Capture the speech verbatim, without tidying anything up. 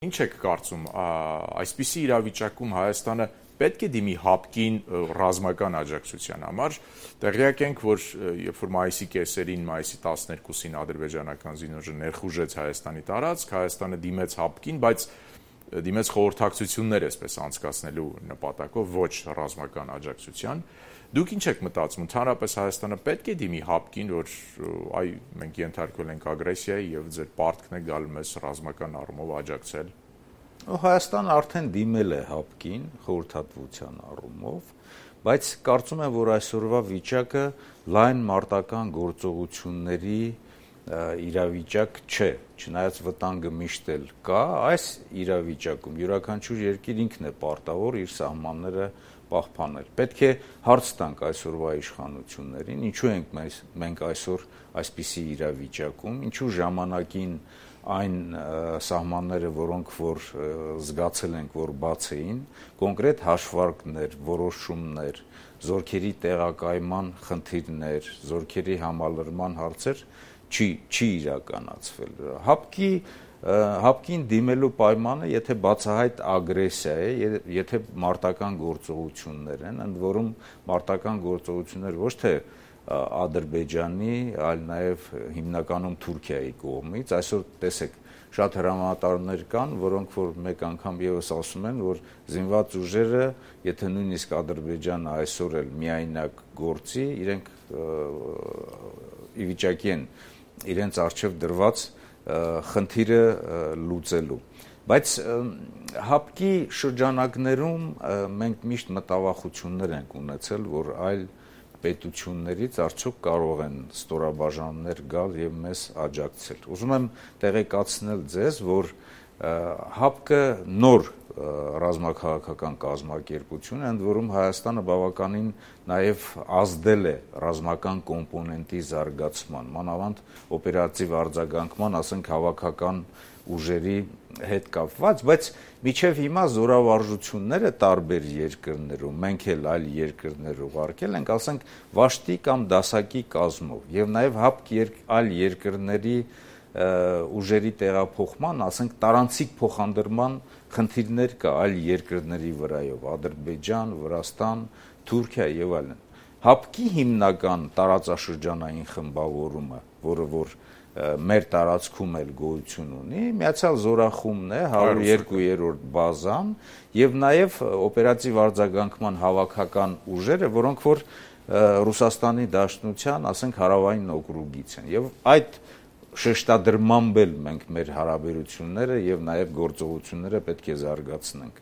Ինչ եք կարծում, այսպիսի իրավիճակում Հայաստանը պետք է դիմի հապկին ռազմական աջակցության համար, տեղյակ ենք, որ երբ որ մայիսի կեսերին, մայիսի տասներկուսին ադրբեջանական զինուժը ներխուժեց Հայաստանի տարածք, Հայաստանը դիմեց հապկին, բայց դիմեց խորհրդակցություններ այսպես անցկացնելու նպատակով, ոչ ռազմական աջակցության։ Դուք ինչ եք մտածում, ընդհանրապես Հայաստանը պետք է դիմի հապկին, որ այ մենք ենթարկվել ենք ագրեսիայի եւ ձեր պարտքն է գալ մեզ ռազմական առումով աջակցել։ Հայաստանը արդեն դիմել է հապկին խորհրդատվության առումով, բայց կարծում եմ, որ այսօրվա վիճակը լայն մարտական գործողությունների իրավիճակ չէ, չնայած վտանգը միշտ էլ կա, այս իրավիճակում յուրաքանչյուր երկիր ինքն է պարտավոր իր սահմանները պահպանել։ Պետք է հարց տանք այսօրվա իշխանություններին, ինչու ենք մենք այսօր այսպիսի իրավիճակում, ինչու ժամանակին այն սահմանները, որոնք որ զգացել ենք, որ բաց էին, կոնկրետ հաշվարկներ, որոշումներ, զորքերի տեղակայման խնդիրներ, զորքերի համալրման հարցեր չի չի իրականացվել։ Հապկի հապկին դիմելու պայմանը, եթե բացահայտ ագրեսիա է, եթե մարտական գործողություններ են, ընդ որում մարտական գործողություններ ոչ թե Ադրբեջանի, այլ նաև հիմնականում Թուրքիայի կողմից, այսօր տեսեք, շատ հրամանատարներ կան, որոնք որ մեկ անգամ եւս ասում են, որ զինված ուժերը, եթե նույնիսկ Ադրբեջանը այսօր էլ միայնակ գործի, իրենք ի վիճակի են իրենց արժեվ դրված խնդիրը լուծելու։ Բայց հապկի շրջանակներում մենք միշտ մտավախություններ ենք ունեցել, որ այլ պետություններից արդյոք կարող են ստորաբաժանումներ գալ եւ մեզ աջակցել։ Ուզում եմ տեղեկացնել ձեզ, որ հապկը նոր ռազմաքաղաքական կազմակերպություն է, ընդ որում Հայաստանը բավականին նաև ազդել է ռազմական կոմպոնենտի զարգացման, մանավանդ օպերատիվ արձագանքման, ասենք հավաքական ուժերի հետ կապված, բայց մինչև հիմա զորավարժությունները տարբեր երկրներում, մենք էլ այլ երկրներ ուղարկել ենք, ասենք վաշտի կամ դասակի կազմով, եւ նաև հապկ այլ երկրների ուժերի տեղափոխման, ասենք տարանցիկ փոխադրման խնդիրներ կա այլ երկրների վրայով, Ադրբեջան, Վրաստան, Թուրքիա եւ այլն։ Հապկի հիմնական տարածաշրջանային խմբավորումը, որը որ մեր տարածքում էլ գոյություն ունի, Միացյալ Զորախումբն է, հարյուր երկու-րդ բազան եւ նաեւ օպերատիվ արձագանքման հավաքական ուժերը, որոնք որ Ռուսաստանի Դաշնության, ասենք հարավային օկրուգից են եւ այդ շեշտադրմամբ էլ մենք մեր հարաբերությունները եւ նաեւ գործողությունները պետք է զարգացնենք։